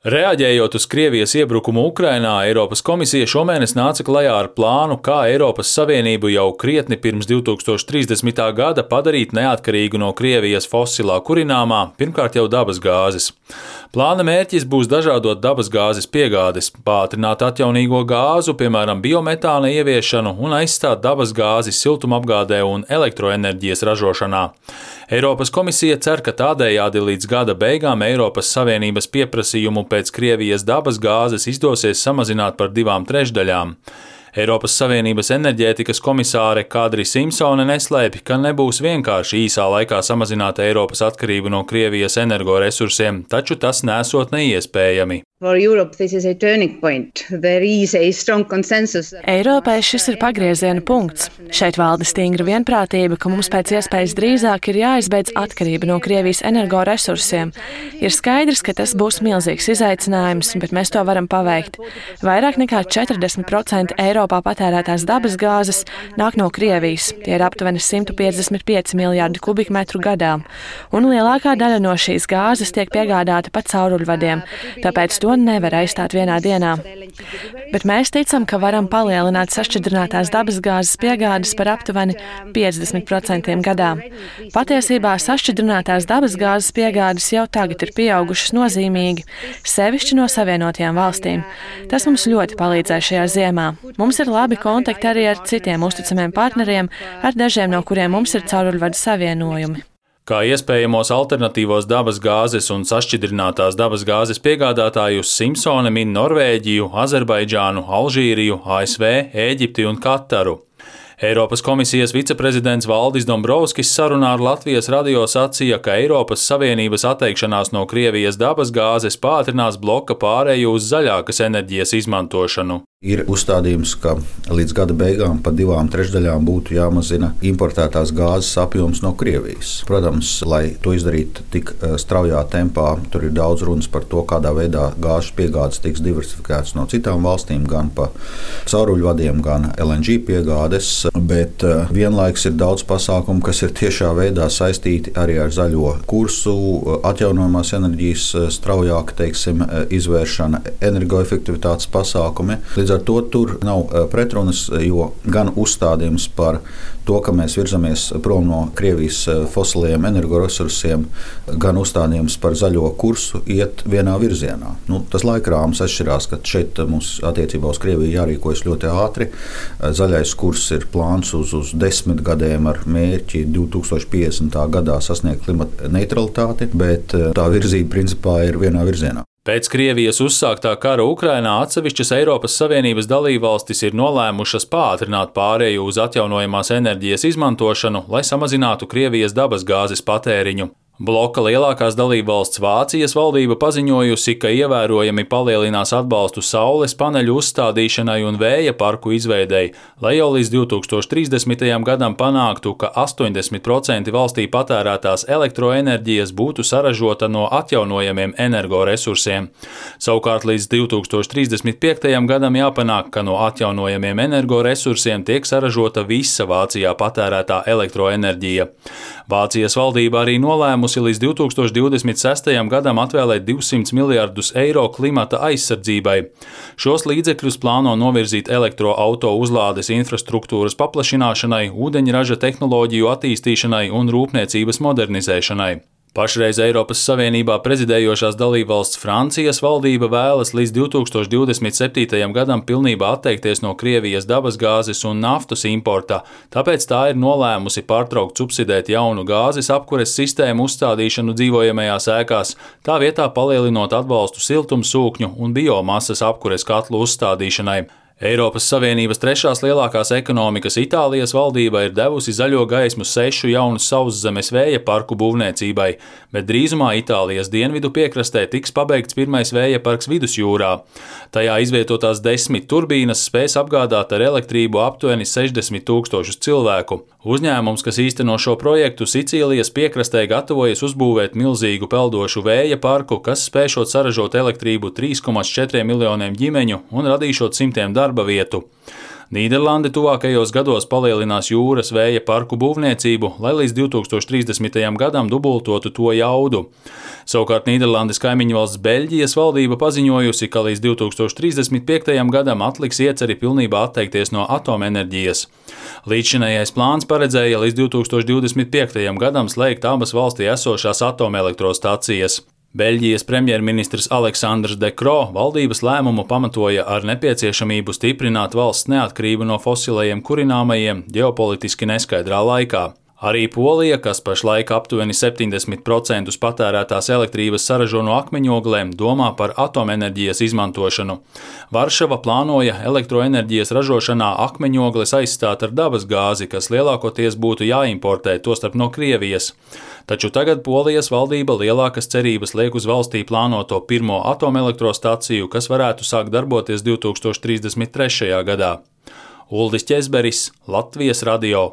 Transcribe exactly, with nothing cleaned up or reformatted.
Reaģējot uz Krievijas iebrukumu Ukrainā, Eiropas komisija šomēnes nāca klajā ar plānu, kā Eiropas Savienību jau krietni pirms divi tūkstoši trīsdesmitā gada padarīt neatkarīgu no Krievijas fosilā kurināmā, pirmkārt jau dabas gāzes. Plāna mērķis būs dažādot dabas gāzes piegādes, pātrināt atjaunīgo gāzu, piemēram, biometāna ieviešanu un aizstāt dabas gāzi siltumapgādē un elektroenerģijas ražošanā. Eiropas komisija cer, ka tādējādi līdz gada beigām Eiropas Savienības pieprasījumu pēc Krievijas dabas gāzes izdosies samazināt par divām trešdaļām. Eiropas Savienības enerģētikas komisāre Kadri Simpsone neslēpj, ka nebūs vienkārši īsā laikā samazināt Eiropas atkarību no Krievijas energoresursiem, taču tas nesot neiespējami. Eiropai šis ir pagrieziena punkts. Šeit valda stingra vienprātība, ka mums pēc iespējas drīzāk ir jāizbeidz atkarība no Krievijas energoresursiem. Ir skaidrs, ka tas būs milzīgs izaicinājums, bet mēs to varam paveikt. Vairāk nekā četrdesmit procenti Eiropā patērētās dabas gāzes nāk no Krievijas. Tie ir aptuveni simt piecdesmit pieci miljārdi kubikmetru gadā. Un lielākā daļa no šīs gāzes tiek piegādāta pa cauruļvadiem, tāpēc to nevar aizstāt vienā dienā. Bet mēs ticam, ka varam palielināt sašķidrinātās dabas gāzes piegādes par aptuveni piecdesmit procentiem gadā. Patiesībā sašķidrinātās dabas gāzes piegādes jau tagad ir pieaugušas nozīmīgi, sevišķi no Savienotajām valstīm. Tas mums ļoti palīdzēja šajā ziemā. Mums ir labi kontakti arī ar citiem uzticamiem partneriem, ar dažiem no kuriem mums ir cauruļvadu savienojumi. Kā iespējamos alternatīvos dabas gāzes un sašķidrinātās dabas gāzes piegādātājus Simpsone min Norvēģiju, Azerbaidžānu, Alžīriju, A S V, Ēģipti un Kataru. Eiropas komisijas viceprezidents Valdis Dombrovskis sarunā ar Latvijas radio sacīja, ka Eiropas Savienības atteikšanās no Krievijas dabas gāzes pātrinās bloka pārēju uz zaļākas enerģijas izmantošanu. Ir uzstādījums, ka līdz gada beigām pa divām trešdaļām būtu jāmazina importētās gāzes apjoms no Krievijas. Protams, lai to izdarītu tik straujā tempā, tur ir daudz runas par to, kādā veidā gāzes piegādes tiks diversifikētas no citām valstīm, gan pa cauruļvadiem, gan L N G piegādes, bet vienlaiks ir daudz pasākumu, kas ir tiešā veidā saistīti arī ar zaļo kursu, atjaunojamās enerģijas straujāka, teiksim, izvēršana, energoefektivitātes pasākumi. Līdz ar to tur nav pretrunas, jo gan uzstādījums par to, ka mēs virzamies prom no Krievijas fosiliem energoresursiem, gan uzstādījums par zaļo kursu iet vienā virzienā. Nu, tas laikrāms atšķirās, ka šeit mums attiecībā uz Krieviju jārīkojas ļoti ātri. Zaļais kurs ir plāns uz, uz desmit gadiem ar mērķi divi tūkstoši piecdesmitā gadā sasniegt klimata neutralitāti, bet tā virzība principā ir vienā virzienā. Pēc Krievijas uzsāktā kara Ukrainā atsevišķas Eiropas Savienības dalībvalstis ir nolēmušas pātrināt pārēju uz atjaunojamās enerģijas izmantošanu, lai samazinātu Krievijas dabas gāzes patēriņu. Bloka lielākās dalībvalsts Vācijas valdība paziņojusi, ka ievērojami palielinās atbalstu saules paneļu uzstādīšanai un vēja parku izveidei, lai jau līdz divi tūkstoši trīsdesmitajam gadam panāktu, ka astoņdesmit procenti valstī patērētās elektroenerģijas būtu saražota no atjaunojamiem energoresursiem. Savukārt līdz divi tūkstoši trīsdesmit piektajam gadam jāpanāk, ka no atjaunojamiem energoresursiem tiek saražota visa Vācijā patērētā elektroenerģija. Vācijas valdība arī nolēmusi līdz divi tūkstoši divdesmit sestajam gadam atvēlēt divsimt miljardus eiro klimata aizsardzībai. Šos līdzekļus plāno novirzīt elektroauto uzlādes infrastruktūras paplašināšanai, ūdeņraža tehnoloģiju attīstīšanai un rūpniecības modernizēšanai. Pašreiz Eiropas Savienībā prezidējošās dalībvalsts Francijas valdība vēlas līdz divi tūkstoši divdesmit septītajam gadam pilnībā atteikties no Krievijas dabas gāzes un naftas importa, tāpēc tā ir nolēmusi pārtraukt subsidēt jaunu gāzes apkures sistēmu uzstādīšanu dzīvojamajās ēkās, tā vietā palielinot atbalstu siltumsūkņu un biomasas apkures katlu uzstādīšanai. Eiropas Savienības trešās lielākās ekonomikas Itālijas valdība ir devusi zaļo gaismu sešu jaunu sauszemes vēja parku būvniecībai, bet drīzumā Itālijas dienvidu piekrastē tiks pabeigts pirmais vēja parks vidusjūrā. Tajā izvietotās desmit turbīnas spēs apgādāt ar elektrību aptuveni sešdesmit tūkstošus cilvēku. Uzņēmums, kas īsteno šo projektu Sicīlijas piekrastē, gatavojas uzbūvēt milzīgu peldošu vēja parku, kas spēšot saražot elektrību trīs komats četriem miljoniem ģimeņu un radīšot simtiem darba vietu. Nīderlande tuvākajos gados palielinās jūras vēja parku būvniecību, lai līdz divi tūkstoši trīsdesmitajam gadam dubultotu to jaudu. Savukārt Nīderlandes kaimiņu valsts Beļģijas valdība paziņojusi, ka līdz divi tūkstoši trīsdesmit piektajam gadam atliks ieceri pilnībā atteikties no atomenerģijas. Līdzšinējais plāns paredzēja līdz divi tūkstoši divdesmit piektajam gadam slēgt abas valstī esošās atomelektrostacijas. Beļģijas premjerministrs Aleksandrs De Croo valdības lēmumu pamatoja ar nepieciešamību stiprināt valsts neatkarību no fosilajiem kurināmajiem ģeopolitiski neskaidrā laikā. Arī Polija, kas pašlaik aptuveni septiņdesmit procentus patērētās elektrības saražo no akmeņoglēm, domā par atomenerģijas izmantošanu. Varšava plānoja elektroenerģijas ražošanā akmeņogles aizstāt ar dabas gāzi, kas lielākoties būtu jāimportē, tostarp no Krievijas. Taču tagad Polijas valdība lielākas cerības liek uz valstī plānoto pirmo atomelektrostaciju, kas varētu sākt darboties divi tūkstoši trīsdesmit trešajā gadā. Uldis Ķezberis, Latvijas radio.